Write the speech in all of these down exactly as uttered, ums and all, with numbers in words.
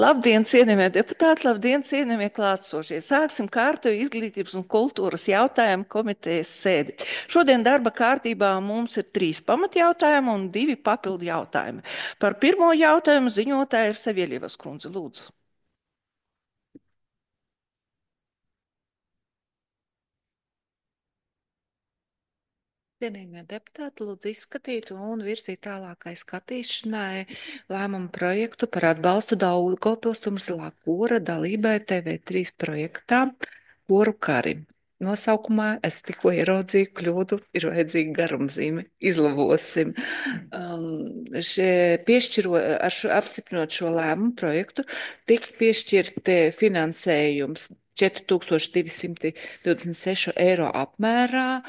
Labdien, cienījamie deputāti, labdien, cienījamie klātsošie. Sāksim kārtējo izglītības un kultūras jautājumu komitejas sēdi. Šodien darba kārtībā mums ir trīs pamatjautājumi un divi papildu jautājumi. Par pirmo jautājumu ziņotāja ir Savielievas kundze. Lūdzu. Cienījamie deputāti, lūdzu izskatīt un virzīt tālākai skatīšanai lēmumu projektu par atbalstu Daugavpils Tumzilā kora dalībai T V trīs projektā Koru karim. Nosaukumā es tikko ieraudzīju kļūdu, ir vajadzīga garumzīme. Izlabosim. Um, šie piešķiro, ar šo, apstiprinot šo lēmumu projektu, tiks piešķirt eh, finansējums četri tūkstoši divi simti divdesmit seši eiro apmērā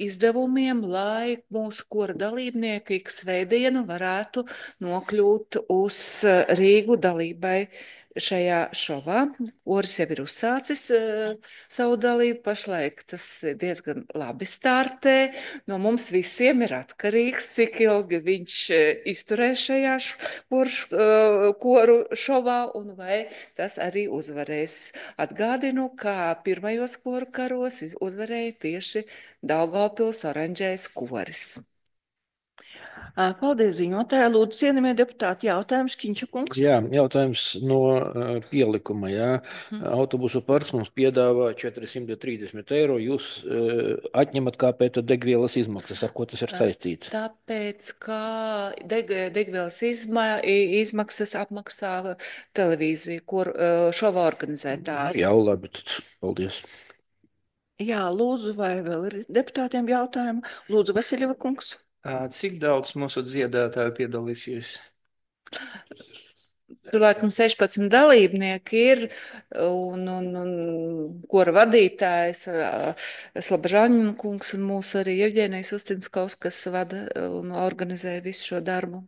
izdevumiem, lai mūsu kora dalībnieki ik svētdienu varētu nokļūt uz eh, Rīgu dalībai šajā šovā. Koris jau ir uzsācis uh, savu dalību, pašlaik tas diezgan labi startē. No mums visiem ir atkarīgs, cik ilgi viņš uh, izturēs šajā š- koru, š- uh, koru šovā un vai tas arī uzvarēs. Atgādinu, ka pirmajos koru karos iz- uzvarēja tieši Daugavpils oranžais koris. Ā, Paldies, ziņotāja. Lūdzu, cienījamie deputāti, jautājums Kiņša kungs. Jā, jautājums no uh, pielikuma. Jā. Mhm. Autobusu parks mums piedāvā četri simti trīsdesmit eiro. Jūs uh, atņemat kāpēc degvielas izmaksas, ar ko tas ir saistīts? Tāpēc, ka deg, degvielas izma, i- izmaksas apmaksā televīzija, kur uh, šova organizētāji. Jā, labi, tad paldies. Jā, lūdzu, vai vēl ir deputātiem jautājumi? Lūdzu, Vasiljeva kungs. Ā, Cik daudz mūsu dziedātāju piedalīsies? Tur laikam sešpadsmit dalībnieki ir, un, un, un kora vadītājs Slabžāņina kungs un mūsu arī Evģēnijas Ustinskovs, kas vada un organizē visu šo darbu.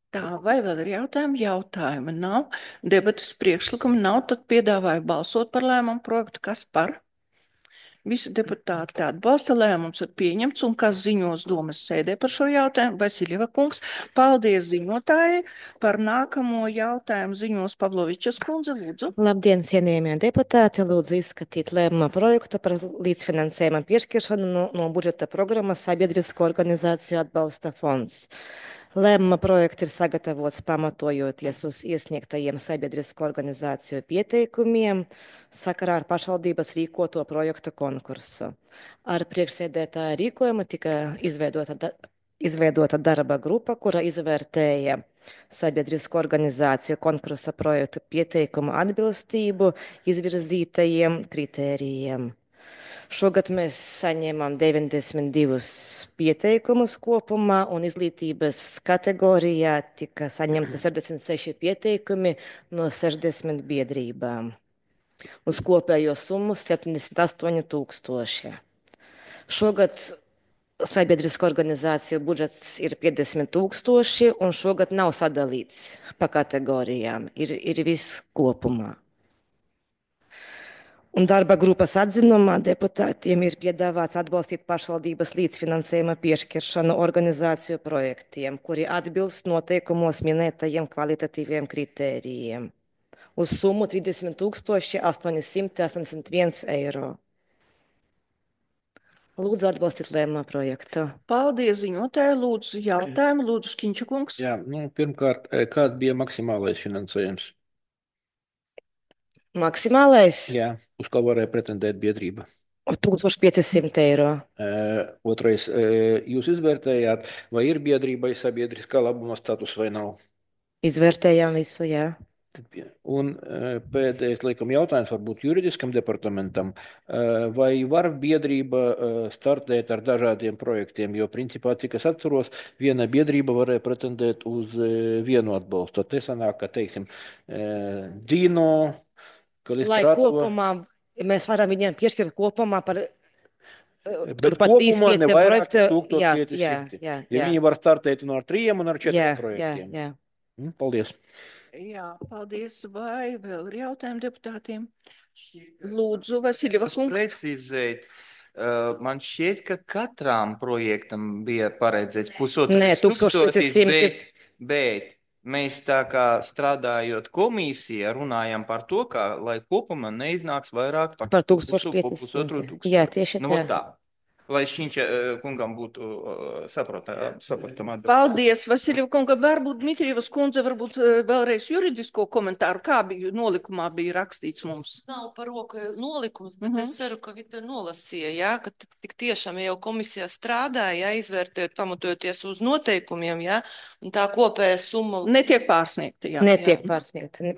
Tā, vai vēl ir jautājumi? Jautājumi nav. Debatas priekšlikumi nav, tad piedāvāju balsot par lēmumu projektu. Kas par? Visi deputāti atbalsta, lēmums ir pieņemts, un kas ziņos domas sēdē par šo jautājumu? Vasiljeva kungs, paldies ziņotājai. Par nākamo jautājumu ziņos Pavlovičas kundze, lūdzu. Labdien, cienījamie deputāti! Lūdzu izskatīt lēmuma projektu par līdzfinansējuma piešķiršanu no, no budžeta programmas Sabiedrisko organizāciju atbalsta fonds. Lēmuma projekts ir sagatavots pamatojoties uz iesniegtajiem sabiedrisko organizāciju pieteikumiem sakarā ar pašvaldības rīkoto projektu konkursu. Ar priekšsēdētāja rīkojumu tika izveidota, da, izveidota darba grupa, kura izvērtēja sabiedrisko organizāciju konkursa projektu pieteikumu atbilstību izvirzītajiem kritērijiem. Šogad mēs saņēmām deviņdesmit divus pieteikumus kopumā, un izglītības kategorijā tika saņemti sešdesmit seši pieteikumi no sešdesmit biedrībām. Uz kopējo summu septiņdesmit astoņi tūkstoši. Šogad sabiedrisko organizāciju budžets ir piecdesmit tūkstoši, un šogad nav sadalīts pa kategorijām. Ir, ir viss kopumā. Un darba grupas atzinumā deputātiem ir piedāvāts atbalstīt pašvaldības līdzfinansējuma piešķiršanu organizāciju projektiem, kuri atbilst noteikumos minētajiem kvalitatīviem kritērijiem. Uz summu trīsdesmit tūkstoši astoņi simti astoņdesmit viens eiro. Lūdzu atbalstīt lēmuma projektu. Paldies ziņotājai, lūdzu jautājumu, lūdzu Škiņša kungs. Jā, nu, pirmkārt, eh, kāds bija maksimālais finansējums? Maksimālais Jā, uz ko varēja pretendēt biedrība? tūkstoš pieci simti eiro. Uh, otrais, uh, jūs izvērtējāt, vai ir biedrībai sabiedriskā labuma status vai nav? Izvērtējām visu, jā. Tad pie- Un uh, pēdējais, laikam, jautājums varbūt juridiskam departamentam. Uh, Vai var biedrība uh, startēt ar dažādiem projektiem? Jo, principā, cik es atceros, viena biedrība varēja pretendēt uz uh, vienu atbalstu. Tad te sanāk, ka, teiksim, uh, Dino, Lai Kalistrāto, kopumā mēs varam viņiem piešķirt kopumā par eh, bet turpat trīs kopumā ne pieciem vairāk projektu. Jā, jā, tūkstoš pieci simti. jā, Ja jā. viņi var startēt no ar trījiem un ar Jā, četriem jā, projektiem. jā. Mm, Paldies. Jā, paldies. Vai vēl ir jautājumi deputātiem? Lūdzu, Vasiljeva Es kungs. precizēt, uh, man šķiet, ka katram projektam bija paredzēts pusotru Nē, tūkstoš pieci tūkstotis, simti. bet, bet mēs tā kā strādājot komisijā, runājam par to, ka, lai kopumā neiznāks vairāk par Par pusu, tūkstošu po pusotru piecsimt. tūkstošu. Jā, tieši Nu, tā. vot tā. Lai Šķiņķa eh, kungam būtu uh, saprotama atbilde. Paldies, Vasiljev kunga. Varbūt Dmitrievas kundze varbūt eh, vēlreiz juridisko komentāru. Kā bija nolikumā bija rakstīts mums? Nav par roku nolikums, bet Mhm. es ceru, ka Vita nolasīja, jā, ka t- tik tiešām jau komisijā strādāja, jā, izvērtējot, pamatojoties uz noteikumiem, jā, un tā kopējā summa. Netiek pārsniegta, jā. Netiek pārsniegta.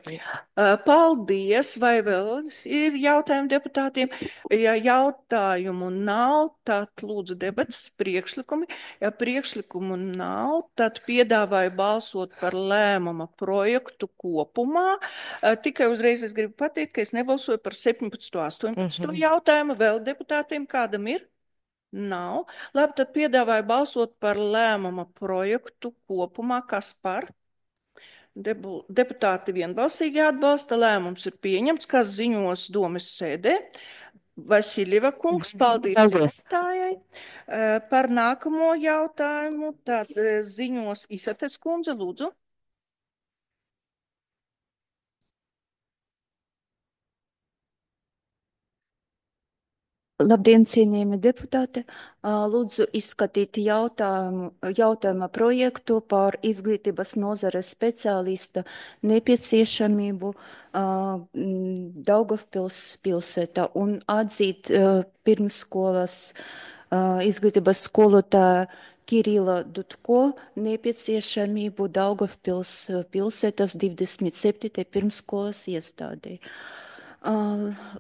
Uh, Paldies, vai vēl ir jautājumi deputātiem? Ja jautājumu nav, tad lūdzu debatas priekšlikumi. Ja priekšlikumu nav, tad piedāvāju balsot par lēmuma projektu kopumā. Uh, Tikai uzreiz es gribu pateikt, ka es nebalsoju par septiņpadsmito, astoņpadsmito Mhm. jautājumu. Vēl deputātiem kādam ir? Nav. Labi, tad piedāvāju balsot par lēmuma projektu kopumā. Kas par? Debu, deputāti vienbalsīgi atbalsta, lēmums ir pieņemts, kas ziņos domes sēdē. Vasiljeva kungs, paldies Paldies. jautājai. Eh, Par nākamo jautājumu tad eh, ziņos Isates kundze, lūdzu. Labdien, cienījami deputāti! Ā, Lūdzu izskatīt jautājumu, jautājuma projektu par izglītības nozares speciālista nepieciešamību ā, m, Daugavpils pilsētā un atzīt ā, pirmsskolas ā, izglītības skolotāja Kirila Dutko nepieciešamību Daugavpils ā, pilsētas divdesmit septītajai pirmsskolas iestādē. Ā,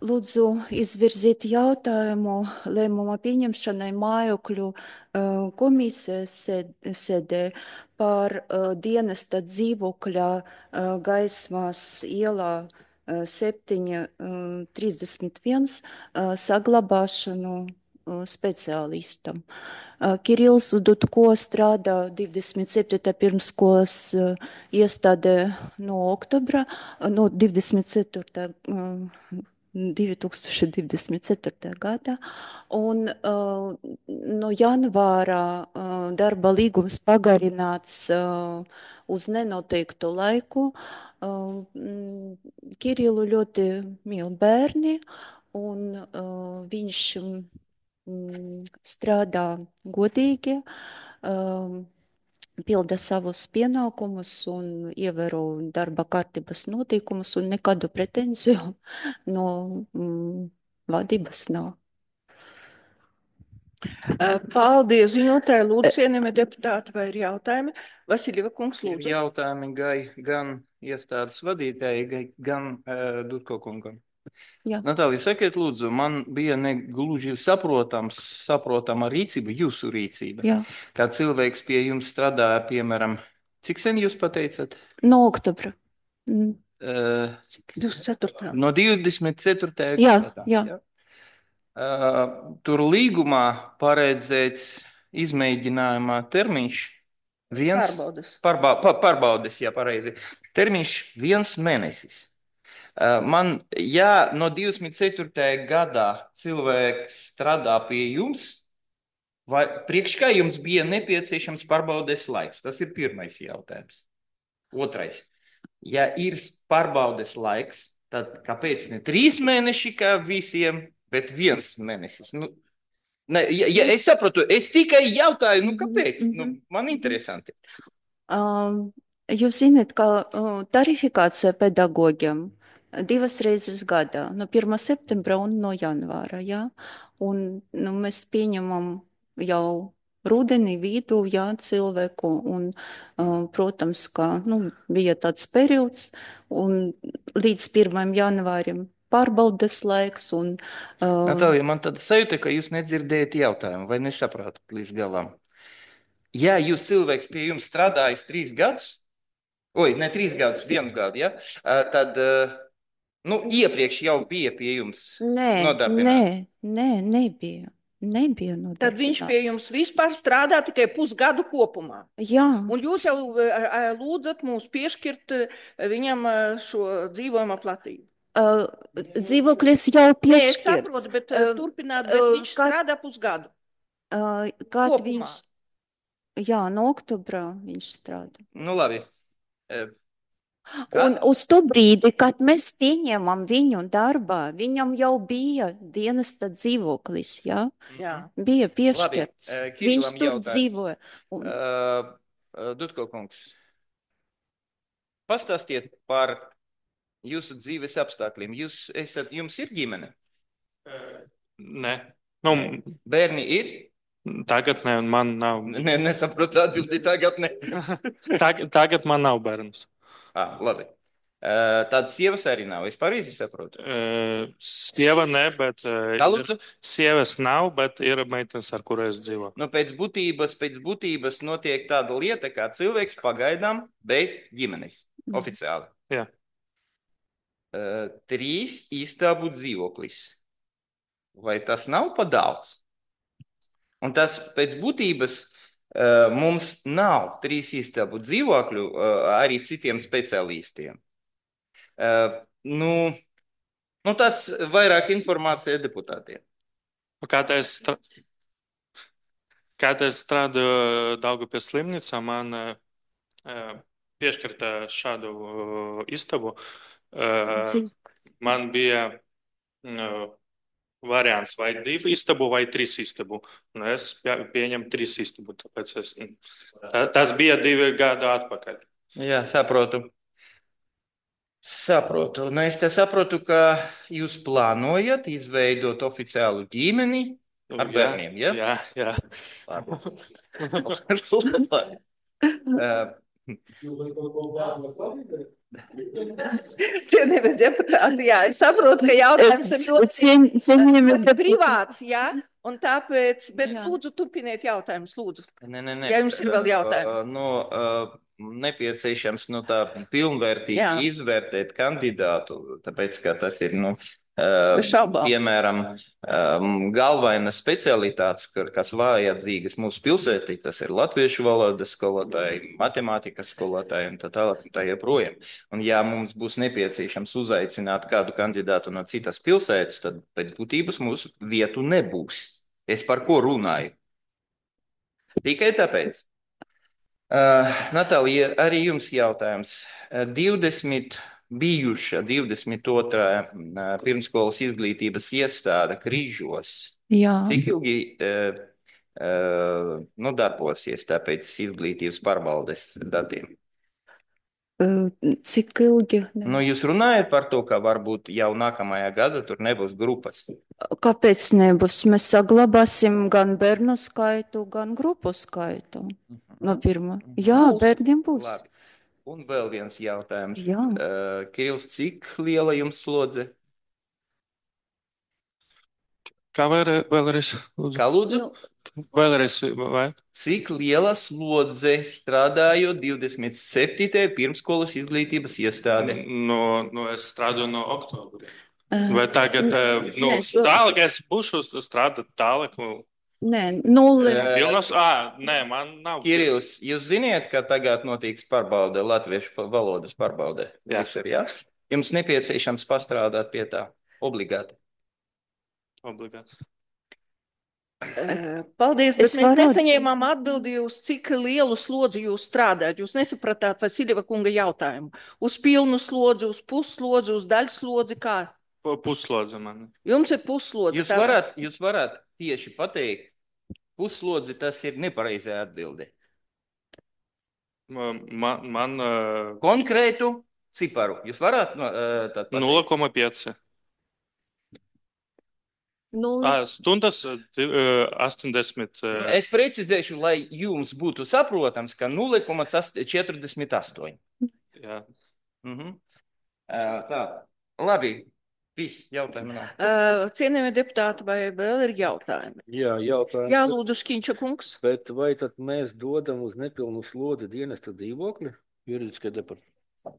Lūdzu izvirzīt jautājumu lēmuma pieņemšanai mājokļu ā, komisijas sēd- sēdē par ā, dienesta dzīvokļa ā, Gaismas ielā ā, septiņi trīsdesmit viens ā, saglabāšanu ā, speciālistam. Ā, Kirils Dutko strādā divdesmit septītajā pirmskolas ā, iestādē no oktobra, no divdesmit ceturtā divi tūkstoši divdesmit ceturtajā gadā, un uh, no janvāra uh, darba līgums pagarināts uh, uz nenoteiktu laiku. Uh, mm, Kirilu ļoti mīl bērni, un uh, viņš mm, strādā godīgi, um, pilda savus pienākumus un ievēro darba kārtības noteikumus, un nekādu pretenziju no mm, vadības nav. Eh, Paldies ziņotāji, lūdzu, cienījamie deputāti, vai ir jautājumi? Vasiljeva kungs, Ir lūdzu. jautājumi gai, gan iestādes vadītāji, gai- gan uh, Dutko kungam. Jā. Natālija, sakiet, lūdzu, man bija negluži saprotams, saprotama rīcība, jūsu rīcība. Jā, Kā cilvēks pie jums strādāja, piemēram, cik sen jūs pateicat? no oktobra. Mm, Uh, cik- divdesmit ceturtā. no divdesmit ceturtajā Jā, gadā. jā. Ja? Uh, tur līgumā paredzēts izmēģinājumā termiņš viens. Pārbaudas. Pārba, pa, pārbaudes, jā, pareizi. Termiņš viens mēnesis. Uh, Man, ja no divdesmit ceturtajā gadā cilvēks strādā pie jums, vai priekš kā jums bija nepieciešams pārbaudes laiks? Tas ir pirmais jautājums. Otrais. Ja ir pārbaudes laiks, tad kāpēc ne trīs mēneši kā visiem, bet viens mēnesis? Nu, ne, ja, ja es saprotu, es tikai jautāju, nu kāpēc? Nu, man interesanti. Um, Jūs zināt, ka uh, tarifikācija pedagogiem divas reizes gadā, no pirmā septembra un no janvāra, jā. Un nu, mēs pieņemam jau rudenī vidū, jā, cilvēku, un, uh, protams, ka, nu, bija tāds periods, un līdz pirmajam janvārim pārbaudas laiks, un, uh, Natālija, man tāda sajūta, ka jūs nedzirdējat jautājumu vai nesaprotat līdz galam. Ja jūs cilvēks pie jums strādājis trīs gadus, oi, ne trīs gadus, vienu gadu, ja, ā, tad, ā, nu, iepriekš jau bija pie jums nē, nē, nodarbināts. nē, nebija, nebija Tad viņš pie nodarbināts. jums vispār strādā tikai pusgadu kopumā. Jā. Un jūs jau eh, eh, lūdzat mūs piešķirt eh, viņam eh, šo dzīvojamo platību. Uh, dzīvoklis jau Nē, es piešķirts. saprotu, bet uh, Uh, turpināt, bet uh, viņš kā- strādā pusgadu Uh, Kad kopumā. viņš, jā, no oktobra viņš strādā. Nu, labi. Eh, Un Kad? uz to brīdi, kad mēs pieņēmām viņu darbā, viņam jau bija dienesta dzīvoklis, jā? Jā. Bija Labi, piešķirts. eh, Viņš Kirilam tur jautājums. dzīvoja. Un Uh, uh, Dutko kungs, pastāstiet par jūsu dzīves apstākļiem. Jūs esat, jums ir ģimene? Nē, nu, Bērni ir? tagad ne, man nav. Ne, nesaprotu atbildi tagad. Ne. Tagad, tagad man nav bērns. ah, labi. Uh, Tādas sievas arī nav. Es pareizi saprotu. Uh, sieva ne, bet uh, Kā lūdzu? sievas nav, bet ir meitenes, ar kurām es dzīvoju. Nu, pēc būtības, pēc būtības notiek tāda lieta, kā cilvēks pagaidām bez ģimenes. Oficiāli. Jā. Uh, trīs istabu dzīvoklis. Vai tas nav pa daudz? Un tas pēc būtības uh, mums nav trīs istabu dzīvokļu uh, arī citiem speciālistiem. Uh, nu, nu, tas vairāk informācija deputātiem. Kad es, stra... Kad es strādāju Daugavpils slimnīcā, man uh, piešķirta šādu uh, istabu. Uh, man bija uh, variants vai divu istabu, vai trīs istabu. Un es pieņemu trīs istabu. Tāpēc es, tā, tas bija divi gadi atpakaļ. Jā, saprotu. Saprotu. Nu, es te saprotu, ka jūs plānojat izveidot oficiālu ģimeni ar Jā, bērniem, ja? Jā, jā. Labi. Uh, Cienījamie deputāti, jā, es saprotu, ka jautājums ir ļoti Cien, cienījami ļoti privāts, jā, un tāpēc, bet Jā. lūdzu, turpiniet jautājumus, lūdzu. Nē, nē, nē. Ja jums ir vēl jautājumi. Uh, Nu, uh, nepieciešams nu, tā pilnvērtīgi Jā. izvērtēt kandidātu, tāpēc, ka tas ir, nu, uh, Bez šaubām. piemēram, um, galvenās specialitātes, ka- kas vajadzīgas mūsu pilsētī, tas ir latviešu valodas skolotāji, matemātikas skolotāji un tā tālāk un tā joprojām. Un ja mums būs nepieciešams uzaicināt kādu kandidātu no citas pilsētas, tad pēc būtības mūsu vietu nebūs. Es par ko runāju? Tikai tāpēc. Uh, Natālija, arī jums jautājums. Uh, divdesmit bijuša divdesmit otrā uh, pirmskolas izglītības iestāde Krīžos. Jā. Cik ilgi uh, uh, nu, darbosies tāpēc izglītības pārvaldes datiem? Uh, Cik ilgi? Ne. Nu, jūs runājat par to, ka varbūt jau nākamajā gada tur nebūs grupas. Kāpēc nebūs? Mēs saglabāsim gan bērnu skaitu, gan grupu skaitu. No pirmā. Jā, Būs. bērniem būs. Labi. Un vēl viens jautājums. Jā. Uh, Kirils, cik liela jums slodze? Kā vēlreiz? vēlreiz lūdzu? Kā lūdzu? Vēlreiz, vai? Cik liela slodze strādājot divdesmit septītajā pirmskolas izglītības iestādē? No, no, es strādāju no oktobra. Uh, Vai tagad, eh, nu, nē, šo- tālāk es būšu strādāt tālāk? nu, Nē, nulle. Eh, Pilnos, ā, nē, man nav. Kirils, jūs ziniet, ka tagad notiks pārbaude, latviešu pa- valodas pārbaude? Jā. Visur, jā? Jums nepieciešams pastrādāt pie tā obligāti. Obligāti. Eh, Paldies, bet Es mēs varu- nesaņēmām atbildi uz cik lielu slodzi jūs strādājat. Jūs nesapratāt Vasiljeva kunga jautājumu. Uz pilnu slodzi, uz pusslodzi, uz daļslodzi, kā? Pu- Puslodze man. Jums ir pusslodzi. Jūs tā- varat, jūs varat tieši pateikt, puslodzi tas ir nepareizā atbilde. Man, man uh, Konkrētu ciparu. Jūs varat no, uh, tad pateikt? nulle koma pieci. Nulle. Ā, Stundas uh, astoņdesmit. uh, Es precizēšu, lai jums būtu saprotams, ka nulle koma četrdesmit astoņi. Jā. Mhm. Uh, Tā, labi. Viss jautājumi nav. Eh, Cienījamie deputāti, vai vēl ir jautājumi? Jā, jautājums. Jā, lūdzu, Škiņša kungs. Bet vai tad mēs dodam uz nepilnu slodzi dienesta dzīvokli juridiskai departamentai?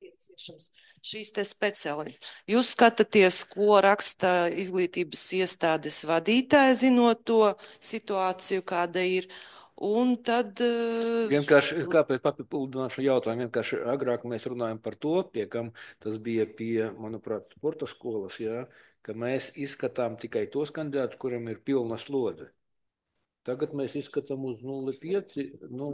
Nepieciešams šīs te speciālists. Jūs skatāties, ko raksta izglītības iestādes vadītāja, zinot to situāciju, kāda ir. Un tad. eh, Vienkārši, kāpēc papildināšu jautājumu? Vienkārši agrāk mēs runājam par to, pie kam tas bija pie, manuprāt, sporta skolas, jā, ka mēs izskatām tikai tos kandidātus, kuriem ir pilna slodze. Tagad mēs izskatām uz nulle pieci. Nu,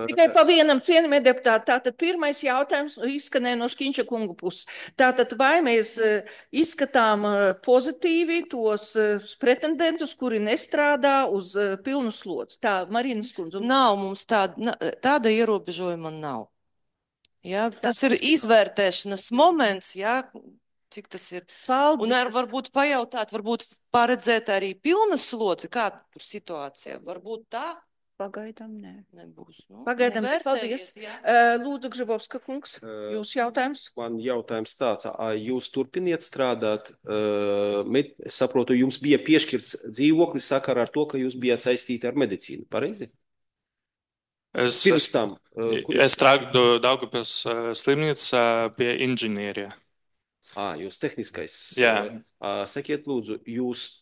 Tikai pa vienam cienījumie deputāti. Tātad pirmais jautājums izskanēja no Škiņša kunga puses. Tātad vai mēs eh, izskatām eh, pozitīvi tos eh, pretendentus, kuri nestrādā uz eh, pilnu slodzi? Tā, Marinas kundze. Nav mums tāda, na- tāda ierobežojuma nav. Jā, tas ir izvērtēšanas moments, jā, cik tas ir. Paldies. Un ar, varbūt pajautāt, varbūt paredzēt arī pilnas slodzi, kā tur situācija. Varbūt tā Pagaidām nē. nebūs. Nu, Pagaidām, nu, paldies. vērsējiet, jā. Eh, Lūdzu, Gžibovska kungs, Eh, jūsu jautājums? Man jautājums tāds, ā, jūs turpiniet strādāt, eh, med, es saprotu, jums bija piešķirts dzīvoklis sakarā ar to, ka jūs bijāt saistīti ar medicīnu, pareizi? Es, Pirms es, tam, eh, kur, es strādāju Daugavpils eh, slimnīcā pie inženierija. ā, jūs tehniskais, Jā. eh, ā, sakiet lūdzu, jūs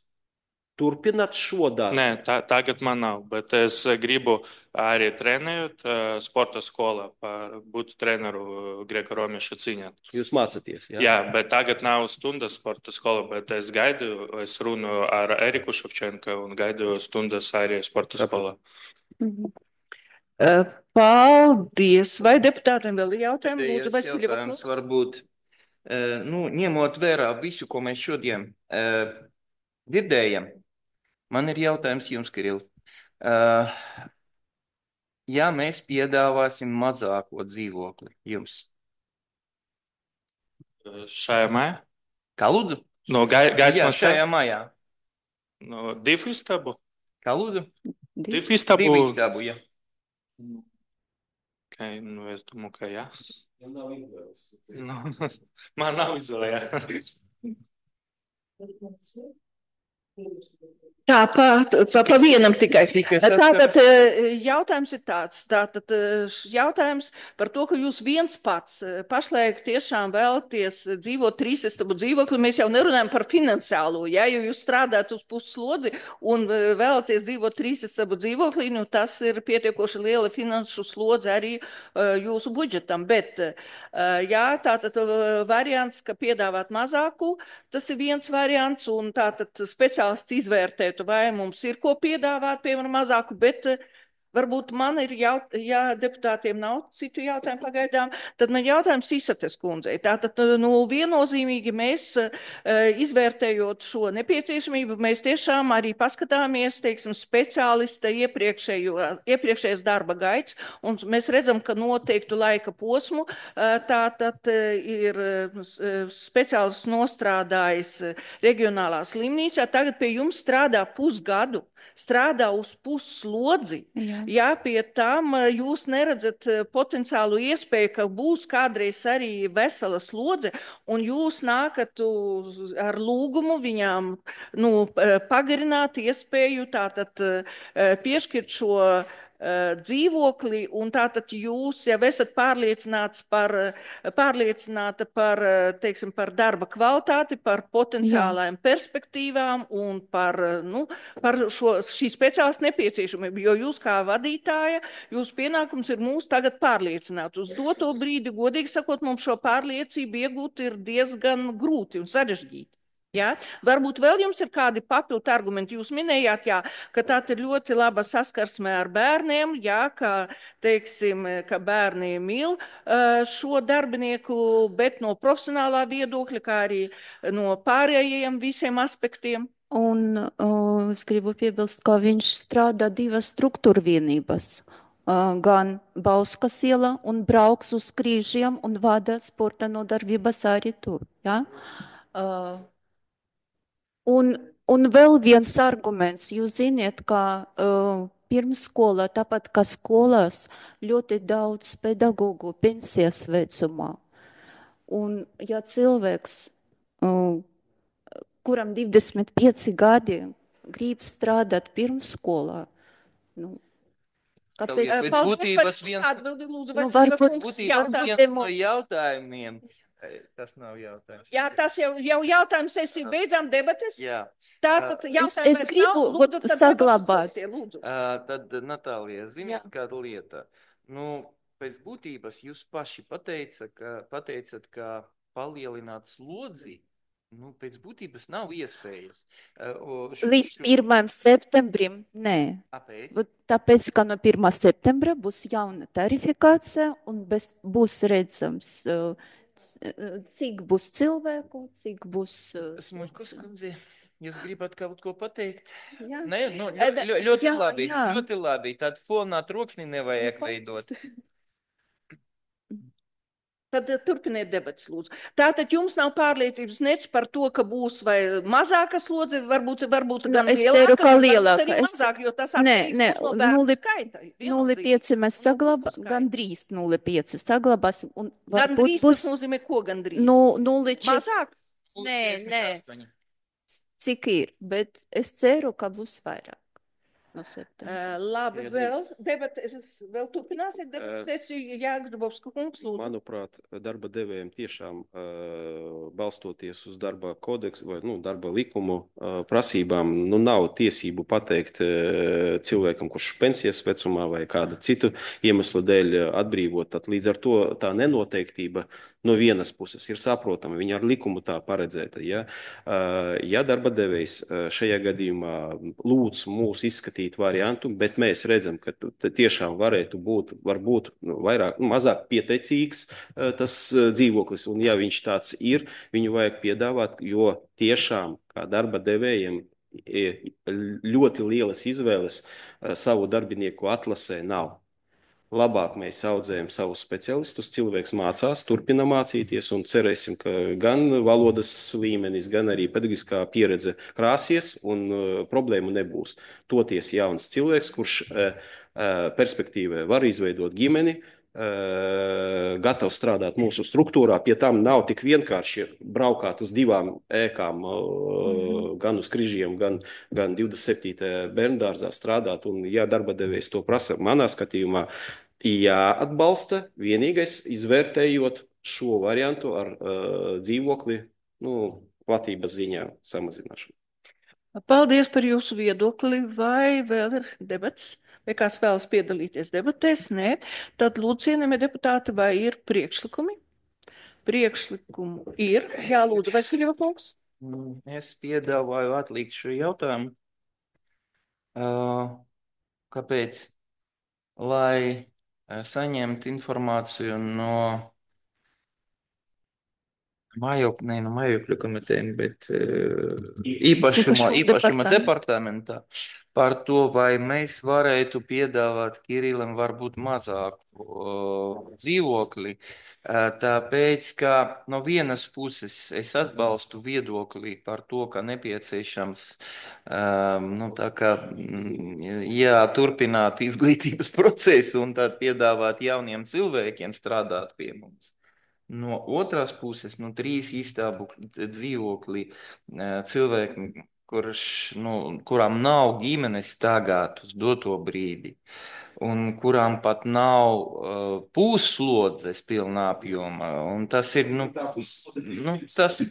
turpināt šo darbu? Nē, tā, tagad man nav, bet es gribu arī trenēt eh, sporta skolā, par būt treneru Greko-Romiešu cīņā. Jūs mācaties, jā? Jā, bet tagad nav stundas sporta skola, bet es gaidu, es runāju ar Eriku Ševčenko un gaidu stundas arī sporta skolā. Mhm. Eh, Paldies. Vai deputātiem vēl ir jautājumi? Lūdzu, Pēdējais Vasiljeva jautājums kungs. varbūt, eh, nu, ņemot vērā visu, ko mēs šodien eh, dzirdējam, man ir jautājums jums, Kiril. Eh, Ja mēs piedāvāsim mazāko dzīvokli jums, Šajā mājā? kā lūdzu? No gai, Jā, gaismas šajā mājā. no divu istabu? Kā lūdzu? Divu Divu istabu? istabu, jā. Okay, nu es domāju, ka jā. Nu, man nav izvēle, jā. Tā, pa, pa, pa vienam tikai. Cik es Tātad atceros? eh, jautājums ir tāds, tātad eh, š- jautājums par to, ka jūs viens pats eh, pašlaik tiešām vēlaties dzīvot trīsistabu dzīvokli. Mēs jau nerunājam par finansiālo, ja, jo jūs strādājat uz pusslodzi un eh, vēlaties dzīvot trīsistabu dzīvoklī, nu tas ir pietiekoši liela finanšu slodze arī uh, jūsu budžetam. Bet, uh, jā, tātad uh, variants, ka piedāvāt mazāku, tas ir viens variants, un tātad speciālists izvērtētu, vai mums ir ko piedāvāt, piemēram, mazāku, bet eh, varbūt man ir, jaut, ja deputātiem nav citu jautājumu pagaidām, tad man jautājums Isates kundzei. Tātad, nu, viennozīmīgi mēs, eh, izvērtējot šo nepieciešamību, mēs tiešām arī paskatāmies, teiksim, speciālista iepriekšējo, iepriekšējais darba gaits, un mēs redzam, ka noteiktu laika posmu, eh, tātad eh, ir eh, speciālists nostrādājis eh, reģionālā slimnīcā, tagad pie jums strādā pusgadu, strādā uz pusslodzi. Jā. Jā, pie tam eh, jūs neredzat eh, potenciālu iespēju, ka būs kādreiz arī vesela slodze, un jūs nākat uz, ar lūgumu viņām nu, eh, pagarināt iespēju tātad eh, piešķirt šo eh, dzīvokli, un tātad jūs jau esat pārliecināts par, eh, pārliecināta par, eh, teiksim, par darba kvalitāti, par potenciālajām perspektīvām un par, eh, nu, par šo, šī speciālista nepieciešamību, jo jūs kā vadītāja, jūsu pienākums ir mūs tagad pārliecināt. Uz doto brīdi, godīgi sakot, mums šo pārliecību iegūt ir diezgan grūti un sarežģīti. Ja? Varbūt vēl jums ir kādi papildu argumenti. Jūs minējāt, jā, ka tā ir ļoti laba saskarsme ar bērniem, jā, ka, teiksim, ka bērni mīl uh, šo darbinieku, bet no profesionālā viedokļa, kā arī no pārējiem visiem aspektiem. Un uh, es gribu piebilst, ka viņš strādā divas struktūra vienības. Uh, gan Bauskas iela un brauks uz Krīžiem un vada sporta nodarbības arī tur. Ja? Uh, un, un vēl viens arguments. Jūs ziniet, ka uh, pirmsskolā, tāpat kā skolās, ļoti daudz pedagogu pensijas vecumā. Un ja cilvēks uh, kuram divdesmit pieci gadi grib strādāt pirmsskolā. Nu, kāpēc? Bet Paldies būtības par viens- atbildi, lūdzu, Nu, Vasiljeva varbūt- kungs. Būtībā Jautājums. viens no jautājumiem. eh, Tas nav jautājums. Jā, tas jau, jau jautājums sesiju beidzām debates. Jā. Tātad Es, jautājums es vairs gribu nav. vot Lūdzu, tad saglabāt. debates lūdzu. Uh, tad, Natālija, ziniet, Jā. kāda lieta? Nu, pēc būtības jūs paši pateica, ka, pateicat, ka palielināt slodzi Nu, pēc būtības nav iespējas. Līdz pirmajam septembrim, nē. Kāpēc? Tāpēc, ka no pirmā septembra būs jauna tarifikācija un bez, būs redzams, cik būs cilvēku, cik būs... Smuļkos kundze, jūs gribat kaut ko pateikt? Jā. Nē, nu, ļoti, ļoti, ļoti jā, labi, jā. ļoti labi. Tad fonā troksni nevajag veidot. Tad turpiniet debats, lūdzu. Tātad jums nav pārliecības nec par to, ka būs vai mazāka slodze, varbūt, varbūt Nu, gan es lielāka, ceru, ka varbūt lielāka. arī Es- mazāk, jo tas Nē, atkarīgs nē, būs no bērnu nulli- skaita. nulle viennozīmīgi. pieci mēs No saglabā, bērnu skaita. gandrīz nulle pieci saglabāsim. Un varbūt Gandrīz būs tas nozīmē, ko gandrīz? nu, nulle četri. Mazāk? Nē, nē, cik ir, bet es ceru, ka būs vairāk no septembra. Uh, labi, Ja vēl drīkst. debates, vēl turpināsiet debates, Jāgdubovska kungs, lūdzu. Manuprāt, darba devējiem tiešām uh, balstoties uz darba kodeksu vai nu, darba likumu uh, prasībām, nu, nav tiesību pateikt uh, cilvēkam, kurš pensijas vecumā vai kāda citu iemeslu dēļ atbrīvot. Tad līdz ar to tā nenoteiktība no vienas puses ir saprotama, viņa ar likumu tā paredzēta. Ja, uh, ja darba devējs uh, šajā gadījumā lūdz mūs izskatīt variantu, bet mēs redzam, ka tiešām varētu būt, varbūt nu, vairāk, nu, mazāk pieteicīgs uh, tas uh, dzīvoklis, un ja viņš tāds ir, viņu vajag piedāvāt, jo tiešām kā darba devējiem ļoti lielas izvēles uh, savu darbinieku atlasē nav. Labāk mēs audzējam savus specialistus, cilvēks mācās, turpina mācīties un cerēsim, ka gan valodas līmenis, gan arī pedagoģiskā pieredze krāsies un uh, problēmu nebūs. Toties jauns cilvēks, kurš uh, uh, perspektīvē var izveidot ģimeni, uh, gatavs strādāt mūsu struktūrā, pie tam nav tik vienkārši braukāt uz divām ēkām, uh, mm-hmm. gan uz Križiem, gan, gan divdesmit septītajā bērndārzā strādāt, un ja darba devējs to prasa, manā skatījumā, jāatbalsta, vienīgais izvērtējot šo variantu ar uh, dzīvokli, nu, platības ziņā samazināšanu. Paldies par jūsu viedokli. Vai vēl ir debats? Vai kāds vēlas piedalīties debatēs? Nē. Tad lūdzu, cienījamie deputāti, vai ir priekšlikumi? Priekšlikumu ir. Jā, lūdzu, Vasilija kungs. Es piedāvāju atlikt šo jautājumu. Uh, kāpēc? Lai saņemt informāciju no mājokļu, ne no mājokļu komitejiem, bet uh, īpašuma, īpašuma departamentā par to, vai mēs varētu piedāvāt Kirilam varbūt mazāku uh, dzīvokli. Uh, tāpēc, ka no vienas puses es atbalstu viedokli par to, ka nepieciešams um, nu, tā kā, jā, turpināt izglītības procesu un tad piedāvāt jauniem cilvēkiem strādāt pie mums. No otras puses, no trīs istābu dzīvokli cilvēki, kurš, nu, kurām nav ģimenes tagad uz doto brīdi, un kurām pat nav uh, puslodzes pilnā apjoma, un tas ir, nu, nu, tas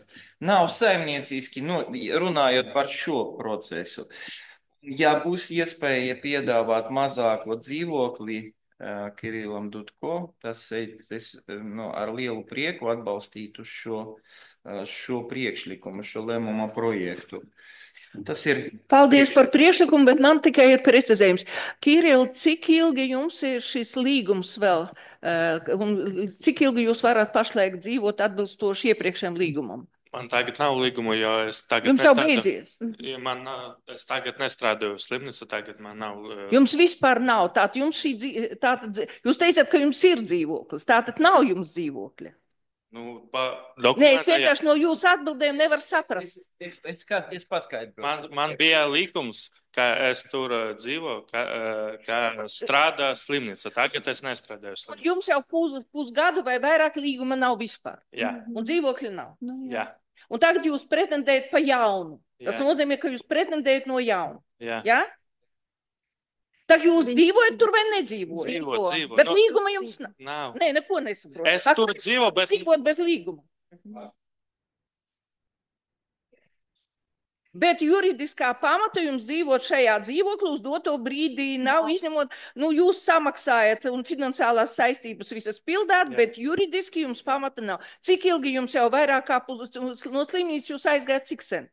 nav saimnieciski, nu, runājot par šo procesu. Ja būs iespēja piedāvāt mazāko dzīvokli, Kirilam Dutko, tas es nu, ar lielu prieku atbalstītu šo, šo priekšlikumu, šo lēmuma projektu. Tas ir. Paldies par priekšlikumu, bet man tikai ir precizējums. Kiril, cik ilgi jums ir šis līgums vēl, un cik ilgi jūs varat pašlaik dzīvot atbilstoši iepriekšējiem līgumam? Man tagad nav līguma, jo es tagad... Jums jau beidzies? Ja man, es tagad nestrādāju slimnīcu, tagad man nav... Jums vispār nav. Tātad jums šī dzīve... Tātad, jūs teicat, ka jums ir dzīvoklis. Tātad nav jums dzīvokļa. Nu, pa dokumentā... Nē, es vienkārši no jūsu atbildēm nevaru saprast. Es, es, es paskaidrošu. Man, man bija līgums, ka es tur dzīvo, ka, ka strādā slimnīca. Tagad es nestrādāju slimnīca. Jums jau pus, pusgadu vai vairāk līguma nav vispār. Jā. Un dzīvokļa nav. Nu, Jā. Un tagad jūs pretendējat pa jaunu. Tas Jā. nozīmē, ka jūs pretendējat no jauna. Jā. Jā? Tad jūs dzīvojat tur vai nedzīvojat? Dzīvo, dzīvo. Bet Nu, līguma jums nav. nav. Nē, neko nesaprotu. Es tur dzīvo, bet... Dzīvot bez līguma. Bet juridiskā pamata jums dzīvot šajā dzīvoklī uz doto brīdī nav izņemot, nu jūs samaksājat un finansiālās saistības visas pildāt, Jā. bet juridiski jums pamata nav. Cik ilgi jums jau vairāk kā pus, no slimnīcas jūs aizgājat, cik sen?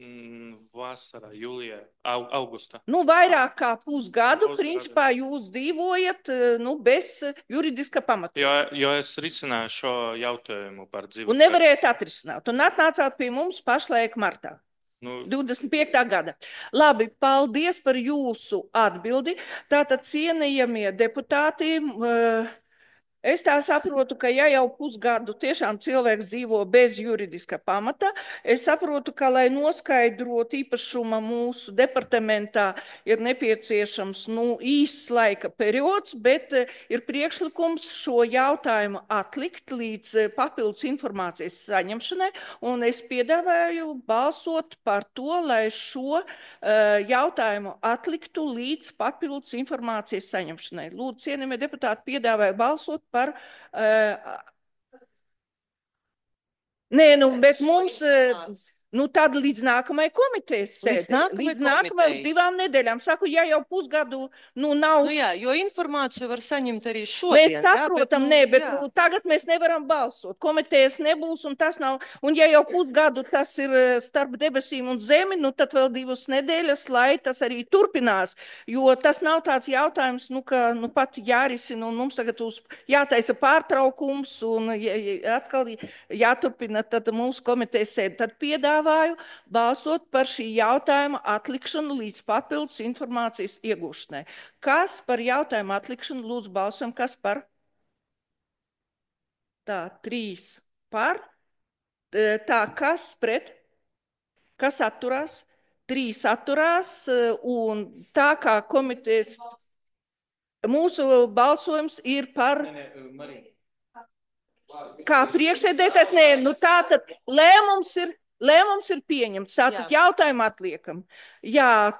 Mm, Vasarā, jūlijā, au, augustā. Nu, vairāk kā pusgadu, Pusgadu. principā, jūs dzīvojat nu, bez juridiska pamata. Jo, jo es risināju šo jautājumu par dzīvokli. Un nevarējāt atrisināt. Un atnācāt pie mums pašlaik martā. Nu, divdesmit piektā gada. Labi, paldies par jūsu atbildi. Tātad, cienījamie deputāti, uh, es tā saprotu, ka ja jau pusgadu tiešām cilvēks dzīvo bez juridiska pamata, es saprotu, ka, lai noskaidrotu īpašuma mūsu departamentā, ir nepieciešams nu, īsts laika periods, bet ir priekšlikums šo jautājumu atlikt līdz papildus informācijas saņemšanai, un es piedāvāju balsot par to, lai šo uh, jautājumu atliktu līdz papildus informācijas saņemšanai. Lūdzu, cienījamie deputāti, piedāvāju balsot par. Uh, nē, nu, bet mums. Uh, Nu, tad līdz nākamajai komitejas sēdē. Līdz nākamajai līdz nākamajai komitejai. divām nedēļām. Saku, ja jau pusgadu, nu, nav. Nu jā, jo informāciju var saņemt arī šodien. Mēs saprotam, jā, bet, nu, nē, bet jā. nu, tagad mēs nevaram balsot. Komitejas nebūs un tas nav. Un ja jau pusgadu tas ir starp debesīm un zemi, nu, tad vēl divas nedēļas, lai tas arī turpinās. Jo tas nav tāds jautājums, nu, ka nu, pat jārisina un mums tagad uz jātaisa pārtraukums un jā, jā, atkal jāturpina tad mūsu komitejas sēde. Tad piedāvāju balsot par šī jautājuma atlikšanu līdz papildus informācijas iegūšanai. Kas par jautājumu atlikšanu lūdzu balsojam? Kas par? Tā, trīs par. Tā, kas pret? Kas atturās? Trīs atturās un tā kā komitejas mūsu balsojums ir par. Kā priekšsēdētājs, nē, nu tā tad lēmums ir. Lēmums ir pieņemts, tātad jautājumu atliekam. Jā,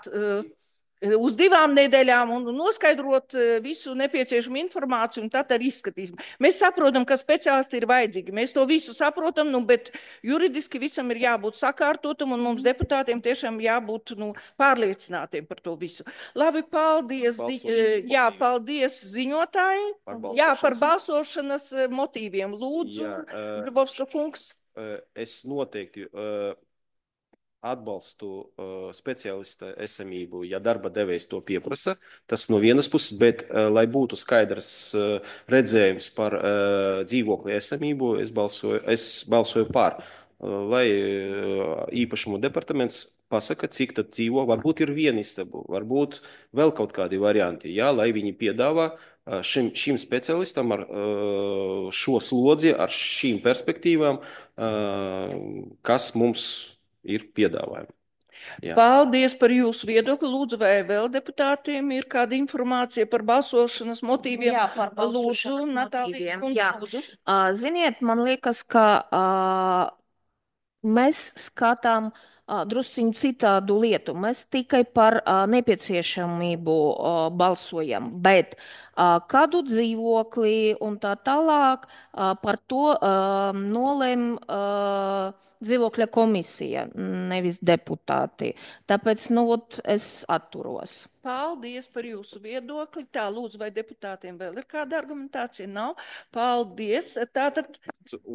uz divām nedēļām un noskaidrot visu nepieciešamu informāciju un tad arī izskatīsim. Mēs saprotam, ka speciālisti ir vajadzīgi. Mēs to visu saprotam, nu, bet juridiski visam ir jābūt sakārtotam un mums deputātiem tiešām jābūt nu, pārliecinātiem par to visu. Labi, paldies, zi, jā, paldies ziņotāji. Par jā, par balsošanas motīviem. Lūdzu, Grabovska kungs. Es noteikti uh, atbalstu uh, speciālista esamību, ja darba devējs to pieprasa. Tas no vienas puses, bet, uh, lai būtu skaidrs uh, redzējums par uh, dzīvokļu esamību, es balsoju, es balsoju par. Uh, lai uh, īpašumu departaments pasaka, cik tad dzīvo, varbūt ir viena istaba, varbūt vēl kaut kādi varianti, jā, lai viņi piedāvā Šim, šim specialistam ar uh, šo slodzi, ar šīm perspektīvām, uh, kas mums ir piedāvājumi. Jā. Paldies par jūsu viedokli. Lūdzu, vai vēl deputātiem ir kāda informācija par balsošanas motīviem? Jā, par balsošanas lūdzu, Natālija, motīviem. Jā. Lūdzu. Uh, ziniet, man liekas, ka uh, mēs skatām uh, drusciņu citādu lietu. Mēs tikai par uh, nepieciešamību uh, balsojam, bet uh, kādu dzīvokli un tā tālāk uh, par to uh, nolem uh, dzīvokļa komisija, nevis deputāti. Tāpēc, nu, ot, es atturos. Paldies par jūsu viedokli. Tā, lūdzu, vai deputātiem vēl ir kāda argumentācija? Nav. Paldies. Tātad,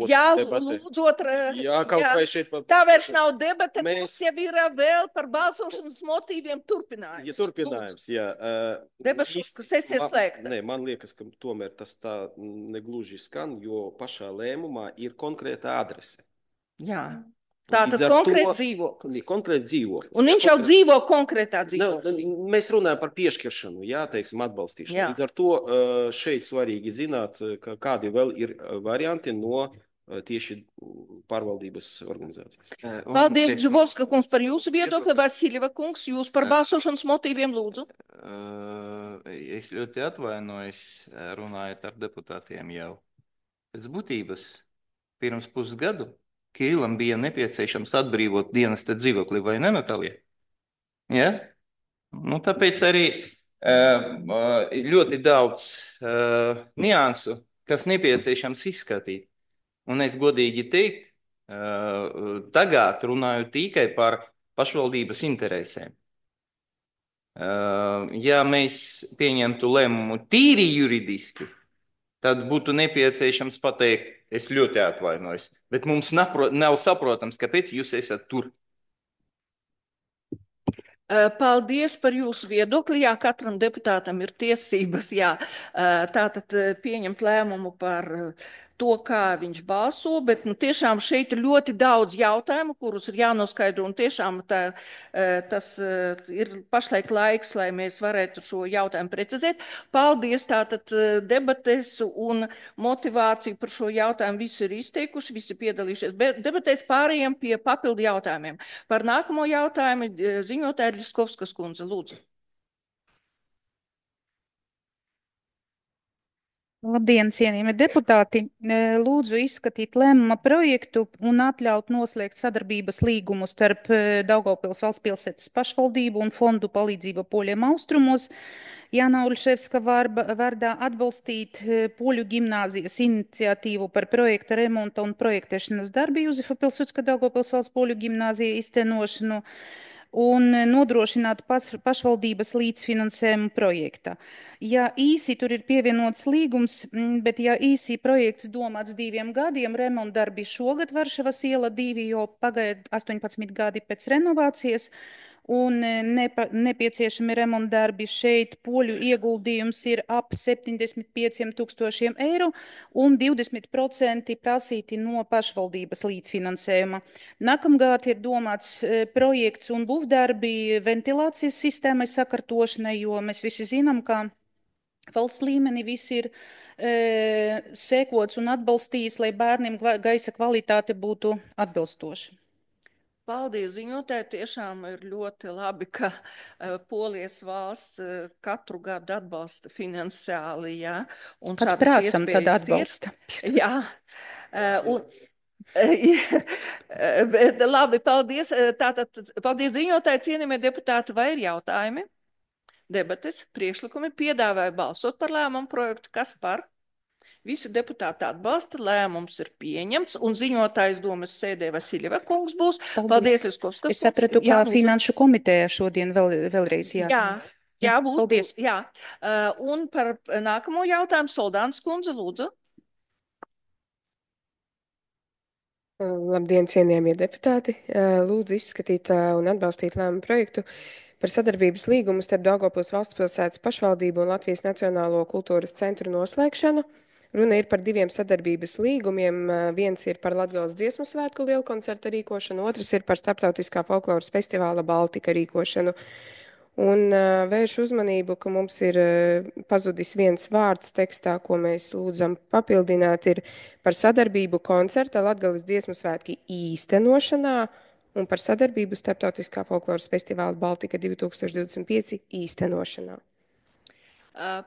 jā, lūdzu, otra. Jā, kaut jā, vai šeit. Pa... Tā vairs nav debata, mēs... mums jau ir vēl par balsošanas motīviem turpinājums. Ja turpinājums, lūdzu. Jā. Uh, Debašu sesija slēgta. Nē, man liekas, ka tomēr tas tā negluži skan, jo pašā lēmumā ir konkrēta adrese. Jā. Tātad konkrēts dzīvoklis. Konkrēts dzīvoklis. Un viņš jā, jau dzīvo konkrētā dzīvoklī. Mēs runājam par piešķiršanu, jā, teiksim, atbalstīšanu. Jā. Līdz ar to šeit svarīgi zināt, ka kādi vēl ir varianti no tieši pārvaldības organizācijas. Paldies, Žubovska kungs, par jūsu viedokli. Vasiljeva kungs, jūs par balsošanas motīviem lūdzu. Es ļoti atvainojos runājot ar deputātiem jau. Pēc būtības pirms pusgadu Kirilam bija nepieciešams atbrīvot dienesta dzīvokli, vai ne, Natālija? Ja? Nu, tāpēc arī uh, ļoti daudz uh, niansu, kas nepieciešams izskatīt. Un es godīgi teikt, uh, tagad runāju tikai par pašvaldības interesēm. Ja mēs pieņemtu lēmumu tīri juridiski, tad būtu nepieciešams pateikt, es ļoti atvainojos, bet mums nav saprotams, kāpēc jūs esat tur. Paldies par jūsu viedokli. Jā, katram deputātam ir tiesības, jā, tātad pieņemt lēmumu par to, kā viņš balso, bet nu, tiešām šeit ir ļoti daudz jautājumu, kurus ir jānoskaidro, un tiešām tā, tas ir pašlaik laiks, lai mēs varētu šo jautājumu precizēt. Paldies, tātad debates un motivāciju par šo jautājumu visi ir izteikuši, visi piedalījušies debatēs, pārējiem pie papildu jautājumiem. Par nākamo jautājumu ziņotāja Ļiskovskas kundze, lūdzu. Labdien, cienījami deputāti! Lūdzu izskatīt lēmuma projektu un atļaut noslēgt sadarbības līgumu starp Daugavpils valsts pilsētas pašvaldību un fondu palīdzība poļiem austrumos. Jāna Ulševska vārdā atbalstīt poļu gimnāzijas iniciatīvu par projekta remonta un projektēšanas darbi Juzefa Pilsudska Daugavpils valsts poļu gimnāzija iztenošanu un nodrošināt pašvaldības līdzfinansējumu projekta. Ja īsi tur ir pievienots līgums, bet ja īsi projekts domāts diviem gadiem, remontdarbi šogad Varšavas iela divi, jo pagaid astoņpadsmit gadi pēc renovācijas, un nepa, nepieciešami remontdarbi šeit poļu ieguldījums ir ap septiņdesmit pieciem tūkstošiem eiro un divdesmit procenti prasīti no pašvaldības līdzfinansējuma. Nākamgad ir domāts projekts un būvdarbi ventilācijas sistēmai sakārtošanai, jo mēs visi zinām, ka valsts līmenī viss ir e, sekots un atbalstījis, lai bērniem gaisa kvalitāte būtu atbilstoša. Paldies, ziņotāji. Tiešām ir ļoti labi, ka uh, Polijas valsts uh, katru gadu atbalsta finansiāli, jā. Un kad prāsam, tad atbalsta. Ir. Jā. Uh, un, uh, labi, paldies. Tātad, paldies, ziņotāji, cienījamie deputāti, vai ir jautājumi? Debates, priekšlikumi, piedāvāja balsot par lēmumu projektu. Kas par? Visi deputāti atbalsta, lēmums ir pieņemts, un ziņotājs domas sēdē Vasiljeva kungs būs. Paldies, Paldies Ļiskovskas kungs. Es sapratu, ka finanšu komiteja šodien vēl, vēlreiz jā. Jā, jā, būs. Paldies. Jā. Uh, un par nākamo jautājumu Soldānas kundze, lūdzu. Labdien, cienījamie deputāti. Lūdzu izskatīt un atbalstīt lēmumu projektu par sadarbības līgumu starp Daugavpils valsts pilsētas pašvaldību un Latvijas Nacionālo kultūras centru noslēgšanu. Runa ir par diviem sadarbības līgumiem. Viens ir par Latgales dziesmu svētku lielkoncerta rīkošanu, otrs ir par starptautiskā folkloras festivāla Baltika rīkošanu. Un uh, vēršu uzmanību, ka mums ir uh, pazudis viens vārds tekstā, ko mēs lūdzam papildināt, ir par sadarbību koncerta Latgales dziesmu svētki īstenošanā un par sadarbību starptautiskā folkloras festivāla Baltika divi tūkstoši divdesmit pieci īstenošanā.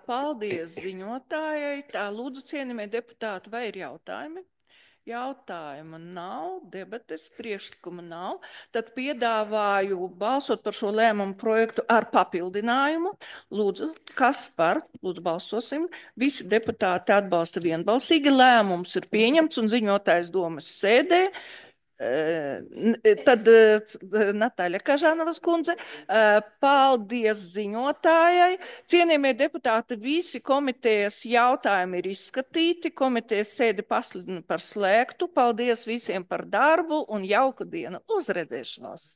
Paldies ziņotājai. Tā, lūdzu, cienījamie deputāti, vai ir jautājumi? Jautājuma nav, debates, priekšlikuma nav. Tad piedāvāju balsot par šo lēmumu projektu ar papildinājumu. Lūdzu, kas par? Lūdzu, balsosim. Visi deputāti atbalsta vienbalsīgi. Lēmums ir pieņemts un ziņotājs domas sēdē. Tad Natāļa Kažanovas kundze, paldies ziņotājai. Cienījamie deputāti, visi komitejas jautājumi ir izskatīti. Komitejas sēdi pasludina par slēgtu. Paldies visiem par darbu un jauku dienu. Uz redzēšanos!